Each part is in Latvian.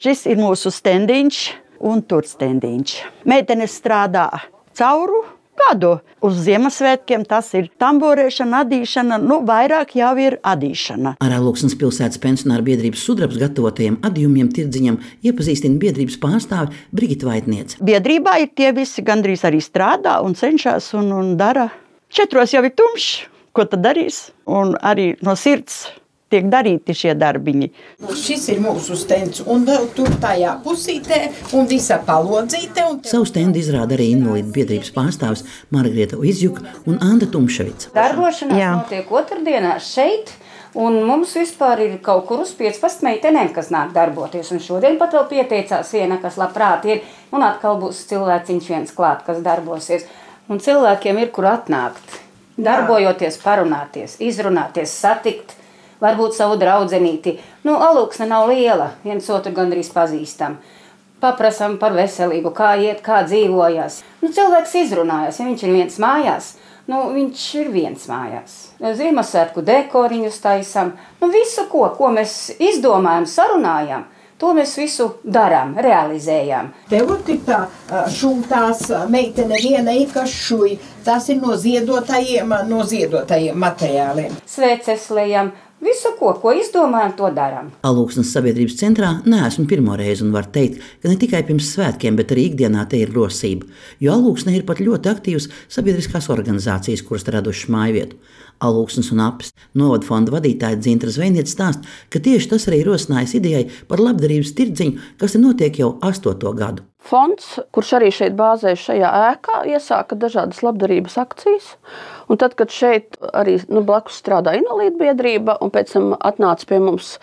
Šis ir mūsu stendiņš un tur stendiņš. Meitenes strādā cauru gadu. Uz Ziemassvētkiem tas ir tamborēšana, adīšana, vairāk jau ir adīšana. Ar Alūksnes pilsētas pensionāru biedrības Sudrabs gatavotajiem adījumiem tirdziņam iepazīstina biedrības pārstāve Brigita Vaitniece. Biedrībā ir tie visi gandrīz arī strādā un cenšas un dara. 4 jau ir tumšs, ko tad darīs? Un arī no sirds tiek darīti šie darbiņi. Šis ir mūsu stends, un vēl tur tajā pusītē, un visa palodzīte. Savu stendu izrāda arī invalīdu biedrības pārstāvis Margarita Izjuka un Anda Tumševica. Darbošanās notiek otrdienās šeit, un mums vispār ir kaut kur uz 15 meitenēm, kas nāk darboties. Un šodien pat vēl pieteicās viena, kas labprāt ir, un atkal būs cilvēciņš viens klāt, kas darbosies. Un cilvēkiem ir, kur atnākt, darbojoties, parunāties, izrunāties, satikt. Varbūt savu draudzenīti. Alūksne nav liela, viens otru gandrīz pazīstam. Paprasam par veselību, kā iet, kā dzīvojas. Cilvēks izrunājas, ja viņš ir viens mājās, viņš ir viens mājās. Ziemassvētku dekoriņus taisam, visu, ko mēs izdomājam, sarunājam, to mēs visu darām, realizējam. Te ir tā šūtās meitene viena ir, kas šuj. Tas ir no ziedotajiem materiāliem. Sveces lejam. Visu, ko izdomājam, to darām. Alūksnes sabiedrības centrā neesmu pirmo reizi un var teikt, ka ne tikai pirms svētkiem, bet arī ikdienā te ir rosība. Jo Alūksnē ir pat ļoti aktīvas sabiedriskās organizācijas, kuras radušas mājvietu. Alūksnes un Apes novada fonda vadītāja Dzintra Zvejniece stāsta, ka tieši tas arī rosinājis idejai par labdarības tirdziņu, kas te notiek jau 8. gadu. Fonds, kurš arī šeit bāzējas šajā ēkā, iesāka dažādas labdarības akcijas. Un tad, kad šeit arī blakus strādā invalīdu biedrība un pēc tam atnāca pie mums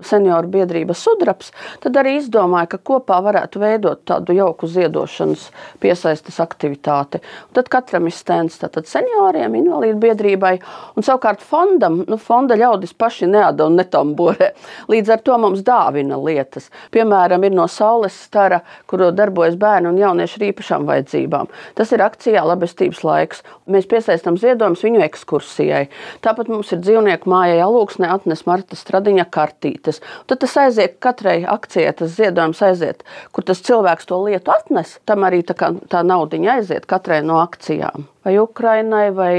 senioru biedrība Sudrabs, tad arī izdomāja, ka kopā varētu veidot tādu jauku ziedošanas piesaistes aktivitāti. Un tad katram ir stends tātad senioriem, invalīdu biedrībai, un savukārt fondam, fonda ļaudis paši neada un netamborē. Līdz ar to mums dāvina lietas. Piemēram, ir no Saules stara, kuru darbojas bērni un jaunieši ar īpašām vajadzībām. Tas ir akcijā Labestības laiks. Mēs piesaistam ziedojumus viņu ekskursijai. Tāpat mums ir dzīvnieku mājai Alūksnē atnes Marta Stradiņa kartītes. Tad tas aiziet katrai akcijai, tas ziedojums aiziet, kur tas cilvēks to lietu atnes, tam arī tā naudiņa aiziet katrai no akcijām. Vai Ukrainai, vai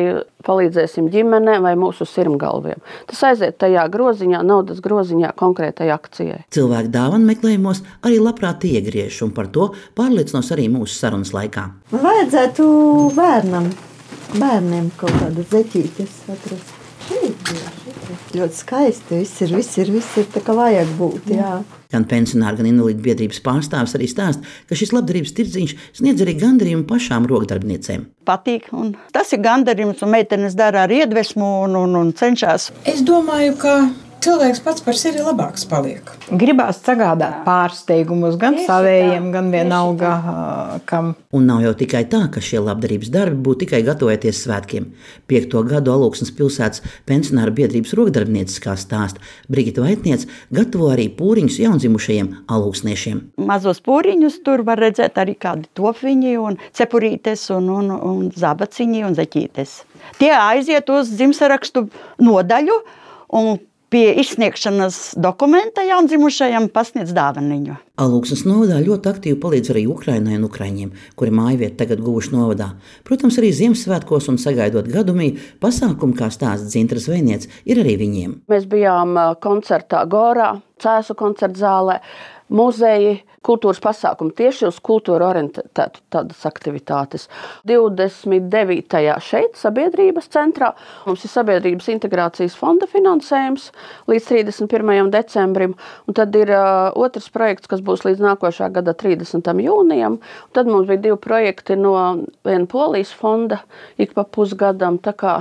palīdzēsim ģimenei, vai mūsu sirmgalviem. Tas aiziet tajā groziņā, naudas groziņā konkrētai akcijai. Cilvēki dāvanu meklējumos arī labprāt iegriež, un par to pārliecinos arī mūsu sarunas laikā. Vajadzētu bērniem kaut kādas zeķītes atrast. Ļoti skaisti, viss ir tā kā vajag būt, jā. Gan pensionāri, gan invalīdu biedrības pārstāvis arī stāsta, ka šis labdarības tirdziņš sniedz arī gandarījumu pašām rokdarbniecēm. Patīk, un tas ir gandarījums, un meitenes dara ar iedvesmu un cenšas. Es domāju, ka cilvēks pats par sevi labāks paliek. Gribās sagādāt pārsteigumus gan savējiem, gan vienalga kam. Un nav jau tikai tā, ka šie labdarības darbi būtu tikai gatavoties svētkiem. 5. gadu Alūksnes pilsētas pensionāru biedrības rokdarbnieces, kā stāsta Brigita Vaitniece, gatavo arī pūriņus jaundzimušajiem alūksniešiem. Mazos pūriņus tur var redzēt arī kādi topiņi un cepurītes un zabaciņi un zeķītes. Tie aiziet uz dzimstarakstu nodaļu un pie izsniegšanas dokumenta jaundzimušajam pasniedz dāvaniņu. Alūksnes novadā ļoti aktīvi palīdz arī Ukrainai un ukraiņiem, kuri mājvietu tagad guvuši novadā. Protams, arī Ziemassvētkos un sagaidot gadumiju pasākumu, kā stāsta Dzintra Zvejniece, ir arī viņiem. Mēs bijām koncertā Gorā, Cēsu koncerta zālē, muzeji, kultūras pasākumi tieši uz kultūru orientētu tādas aktivitātes. 29. šeit sabiedrības centrā mums ir sabiedrības integrācijas fonda finansējums līdz 31. decembrim, un tad ir otrs projekts, kas būs līdz nākošā gada 30. jūnijam. Un tad mums bija 2 projekti no viena Polijas fonda ik pa pusgadam, tā kā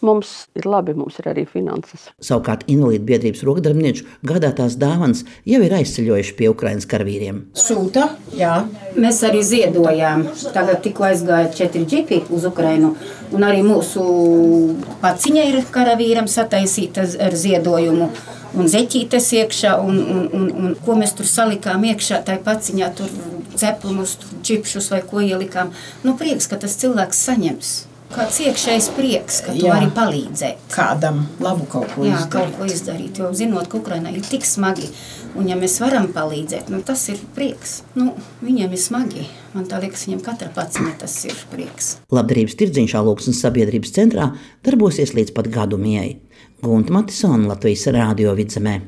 mums ir labi, mums ir arī finanses. Savukārt invalīdu biedrības rokdarbnieču gādātās dāvanas jau ir aizceļojuši pie Ukrainas karavīriem. Sūta, jā. Mēs arī ziedojām. Tagad tikko aizgāja 4 džipi uz Ukrainu, un arī mūsu paciņa ir karavīram sataisīta ar ziedojumu. Un zeķītes iekšā, un ko mēs tur salikām iekšā, tai paciņā tur ceplumus, čipšus vai ko ielikām. Prieks, ka tas cilvēks saņems. Kāds iekšējs prieks, ka tu Jā. vari palīdzēt. Kādam labu kaut ko Jā, izdarīt. kaut ko izdarīt, jo zinot, ka Ukrainā ir tik smagi, un ja mēs varam palīdzēt, tas ir prieks. Viņiem ir smagi, man tā liekas, viņiem katra paciņa tas ir prieks. Labdarības tirdziņš Alūksnes sabiedrības centrā darbosies līdz pat gadu mijai. Gunta Matisona, Latvijas Rādio Vidzemē.